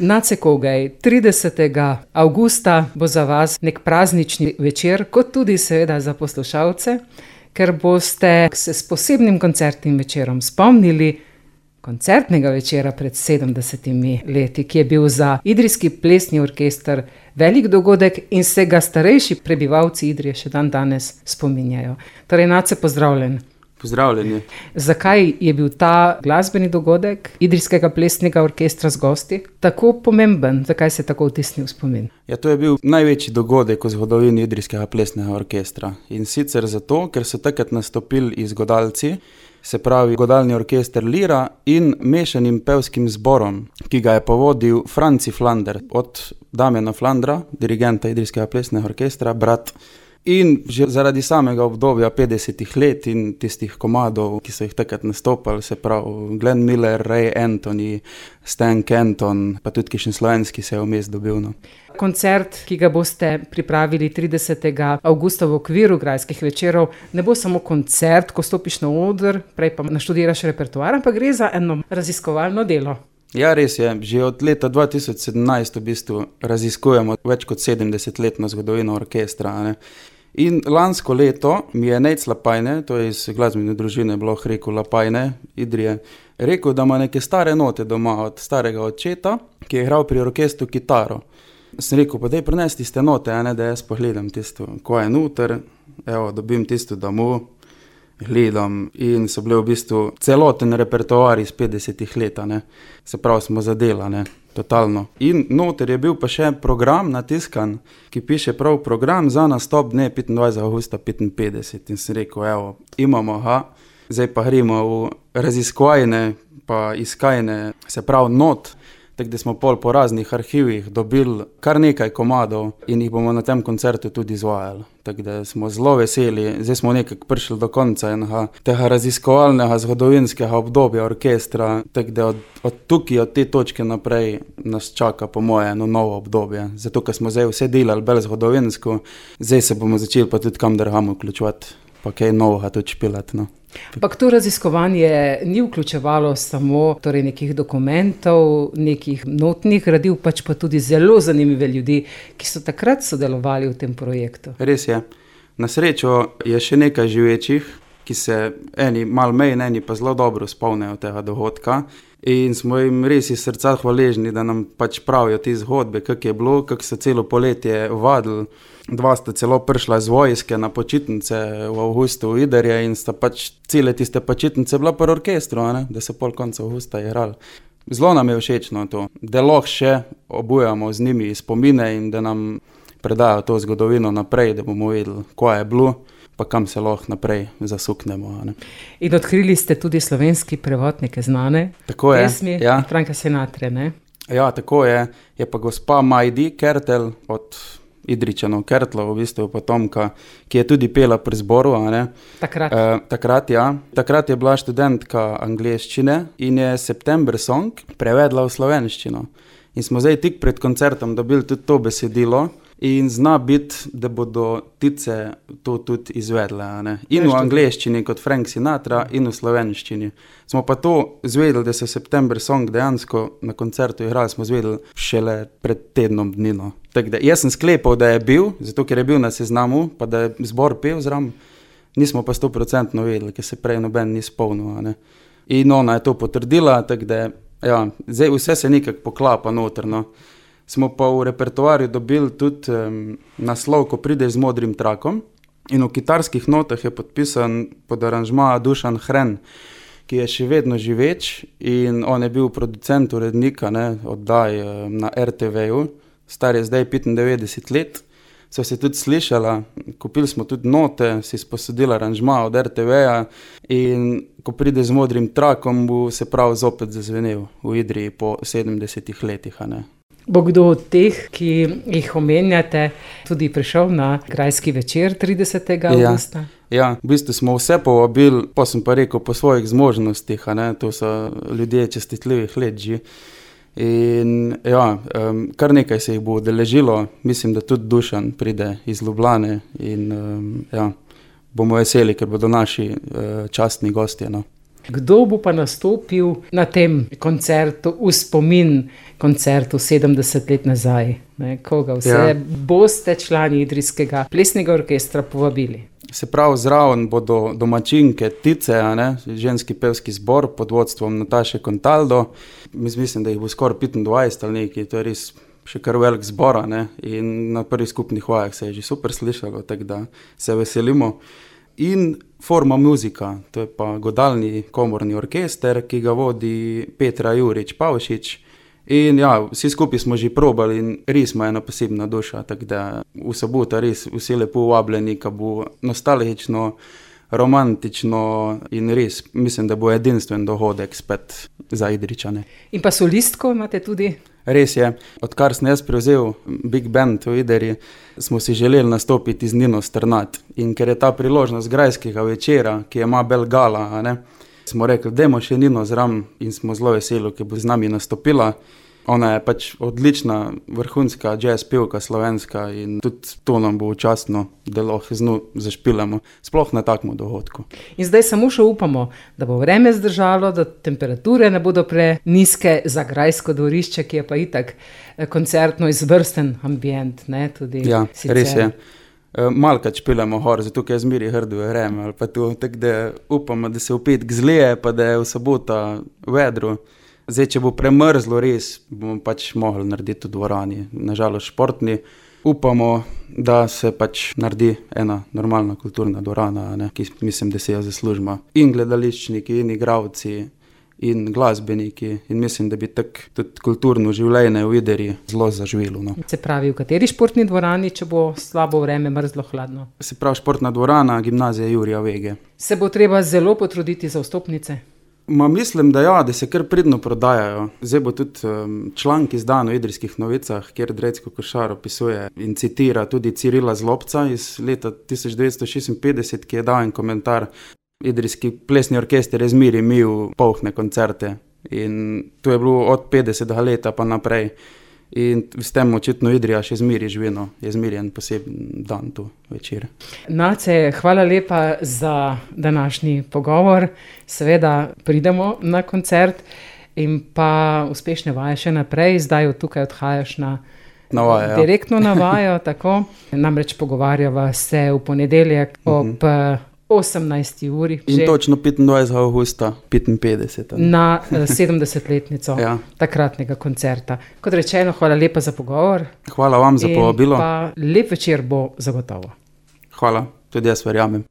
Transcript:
Nace Kogaj, 30. avgusta bo za vas nek praznični večer, kot tudi seveda za poslušalce, ker boste se s posebnim koncertnim večerom spomnili koncertnega večera pred 70 leti, ki je bil za Idrijski plesni orkester velik dogodek in se ga starejši prebivalci Idrije še dan danes spominjajo. Torej, Nace, pozdravljen. Pozdravljeni. Zakaj je bil ta glasbeni dogodek Idrijskega plesnega orkestra z gosti tako pomemben? Zakaj se je tako vtisnil v spomin? Ja, to je bil največji dogodek v zgodovini Idrijskega plesnega orkestra. In sicer zato, ker so takrat nastopili izgodalci, se pravi godalni orkester Lira in mešanim pevskim zborom, ki ga je povodil Franci Flander, od Damjana Flandra, dirigenta Idrijskega plesnega orkestra, brat. In že zaradi samega obdobja 50 let in tistih komadov, ki so jih takrat nastopali, se pravi Glenn Miller, Ray Anthony, Stan Kenton, pa tudi kakšen slovenski se je vmes dobil. No. Koncert, ki ga boste pripravili 30. avgusta v okviru Grajskih večerov, ne bo samo koncert, ko stopiš na oder, prej pa naštudiraš repertoar, ampak gre za eno raziskovalno delo. Ja, res je. Že od leta 2017 v bistvu raziskujemo več kot 70-letno zgodovino orkestra. Ne? In lansko leto mi je Nejc Lapajne, to je iz glasbene družine Bloh Reku Lapajne, Idrije, rekel, da ima neke stare note doma od starega očeta, ki je igral pri orkestru kitaro. Sem rekel, pa daj prinesti tiste note, da jaz pogledam tisto, ko je noter, evo, dobim tisto domov, gledam in so bile v bistvu celoten repertoar iz 50 let, se pravi smo zadela, totalno. In noter je bil pa še program natiskan, ki piše prav program za nastop dne 25. augusta 55. In sem rekel, evo, imamo, zdaj pa gremo v raziskovajne pa iskajne, se pravi not, tako da smo po raznih arhivih dobili kar nekaj komadov in jih bomo na tem koncertu tudi izvajali. Tako da smo zelo veseli, zdaj smo nekako prišli do konca enega tega raziskovalnega zgodovinskega obdobja orkestra, tako da od tukaj, od te točke naprej nas čaka po moje eno novo obdobje. Zato, ker smo zdaj vse delali bolj zgodovinsko, zdaj se bomo začeli pa tudi kam drugam vključevati, pa kaj novega tudi špilati, no. Ampak to raziskovanje ni vključevalo samo nekih dokumentov, nekih notnih gradiv, pač pa tudi zelo zanimive ljudi, ki so takrat sodelovali v tem projektu. Res je. Na srečo je še nekaj živečih, ki se eni malo manj, eni pa zelo dobro spomnijo tega dogodka. In smo jim res iz srca hvaležni, da nam pač pravijo te zgodbe, kako je bilo, kako so celo poletje vadili. Dva sta celo prišla z vojske na počitnice v avgustu v Idrije in sta pač cele tiste počitnice bila pri orkestru, da so pol konca avgusta igrali. Zelo nam je všečno to, da lahko še obujamo z njimi spomine in da nam predajo to zgodovino naprej, da bomo vedeli, kaj je bilo, pa kam se lahko naprej zasuknemo. In odkrili ste tudi slovenski prevod neke znane pesmi, ja. Franka Sinatre, ne? Ja, tako je. Je pa gospa Majdi Kertel od Idričanov Kertlov, v bistvu potomka, ki je tudi pela pri zboru. Takrat, ja. Takrat je bila študentka angleščine in je September Song prevedla v slovenščino. In smo zdaj tik pred koncertom dobili tudi to besedilo in zna biti, da bodo tice to tudi izvedle. In v angleščini kot Frank Sinatra in v slovenščini. Smo pa to zvedeli, da so September Song dejansko na koncertu igrali, smo zvedeli šele pred tednom dnino. Tako da jaz sem sklepal, da je bil, zato ker je bil na seznamu, pa da je zbor pel zram, nismo pa 100% vedeli, ker se prej noben ni spomnil. In ona je to potrdila, tako da ja, zdaj vse se nekako poklapa notrno. Smo pa v repertoarju dobili tudi naslov, ko prideš z modrim trakom in v kitarskih notah je podpisan pod aranžma Dušan Hren, ki je še vedno živeč in on je bil producent urednika oddaj na RTV-ju, star je zdaj 95 let. So se tudi slišala, kupili smo tudi note, si sposodili aranžma od RTV-ja in ko pride z modrim trakom, bo se prav zopet zazvenel v Idriji po 70 letih. Bo kdo od teh, ki jih omenjate, tudi prišel na Grajski večer 30. avgusta? Ja, v bistvu smo vse povabili, pa sem pa rekel po svojih zmožnostih, to so ljudje čestitljivih let že. In ja, kar nekaj se jih bo udeležilo, mislim, da tudi Dušan pride iz Ljubljane in ja, bomo veseli, ker bodo naši častni gostje. Kdo bo pa nastopil na tem koncertu v spomin koncertu 70 let nazaj? Koga vse boste člani Idrijskega plesnega orkestra povabili? Se pravi, zraven bodo domačinke Tice, ženski pevski zbor pod vodstvom Nataše Contaldo. Mislim, da jih bo skoraj 25 ali nekaj, to je res še kar velik zbor, in na prvih skupnih vajah se je že super slišalo, tako da se veselimo. In Forma Muzika, to je pa godalni komorni orkester, ki ga vodi Petra Jurič Pavšič. In vsi skupaj smo že probali in res ima ena posebna duša, tako da v soboto res vsi lepo vabljeni, ki bo nostalgično, romantično in res mislim, da bo edinstven dogodek spet za Idrijčane. In pa solistko imate tudi? Res je, odkar sem jaz prevzel Big Band v Idriji, smo si želeli nastopiti z Nino Strnad. In ker je ta priložnost grajskega večera, ki je ima bel gala, smo rekli, dajmo še Nino zraven in smo zelo veseli, ki bo z nami nastopila. Ona je pač odlična, vrhunska jazz pevka slovenska in tudi to nam bo častno, da lahko z njo zašpilamo, sploh na takem dogodku. In zdaj samo še upamo, da bo vreme zdržalo, da temperature ne bodo prenizke za grajsko dvorišče, ki je pa itak koncertno izvrsten ambient, tudi sicer. Res je. Malkrat špilamo hor, zato ker je zmeri hrdo vreme, ali pa to, tako da upamo, da se v petek zlije, pa da je v soboto vedro. Zdaj, če bo premrzlo res, bomo pač mogli narediti v dvorani, nažalost športni. Upamo, da se pač naredi ena normalna kulturna dvorana, ki mislim, da se jo zaslužimo. In gledališčniki, in igravci, in glasbeniki. In mislim, da bi tako tudi kulturno življenje v Idriji zelo zaživelo. Se pravi, v kateri športni dvorani, če bo slabo vreme, mrzlo, hladno? Se pravi, športna dvorana, gimnazija Jurija Vege. Se bo treba zelo potruditi za vstopnice? Mislim, da se kar pridno prodajajo. Zdaj bo tudi članek izdan v Idrijskih novicah, kjer Drecko Košar opisuje in citira tudi Cirila Zlobca iz leta 1956, ki je dal en komentar. Idrijski plesni orkester je zmeri imel polne koncerte in to je bilo od 50. leta pa naprej. In s tem očitno Idrija še zmeri živino, je zmeri en poseben dan tu večer. Nace, hvala lepa za današnji pogovor. Seveda pridemo na koncert in pa uspešne vaje še naprej. Zdaj od tukaj odhajaš na vajo, direktno na vajo, tako. Namreč pogovarjava se v ponedeljek ob 18. uri. In točno 25. avgusta 55. Na 70-letnico takratnega koncerta. Kot rečeno, hvala lepa za pogovor. Hvala vam za povabilo. In pa lep večer bo zagotovo. Hvala, tudi jaz verjamem.